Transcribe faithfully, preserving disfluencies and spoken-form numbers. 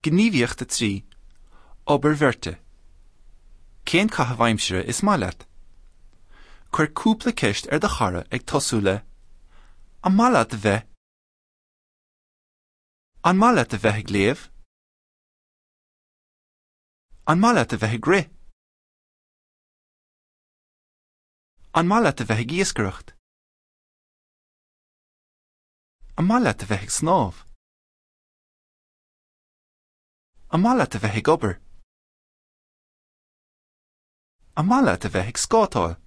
Gníomhaíocht a trí, Obair bheirte. Cén caitheamh aimsire is maith leat? Cuir cúpla ceist ar do chara ag tosú le An maith leat a bheith? An maith leat a bheith ag léamh? An maith leat a bheith ag rith? An maith leat a bheith ag iascaireacht? An maith leat a bheith ag snámh? An maith leat a bheith ag obair? An maith leat a bheith ag scátáil?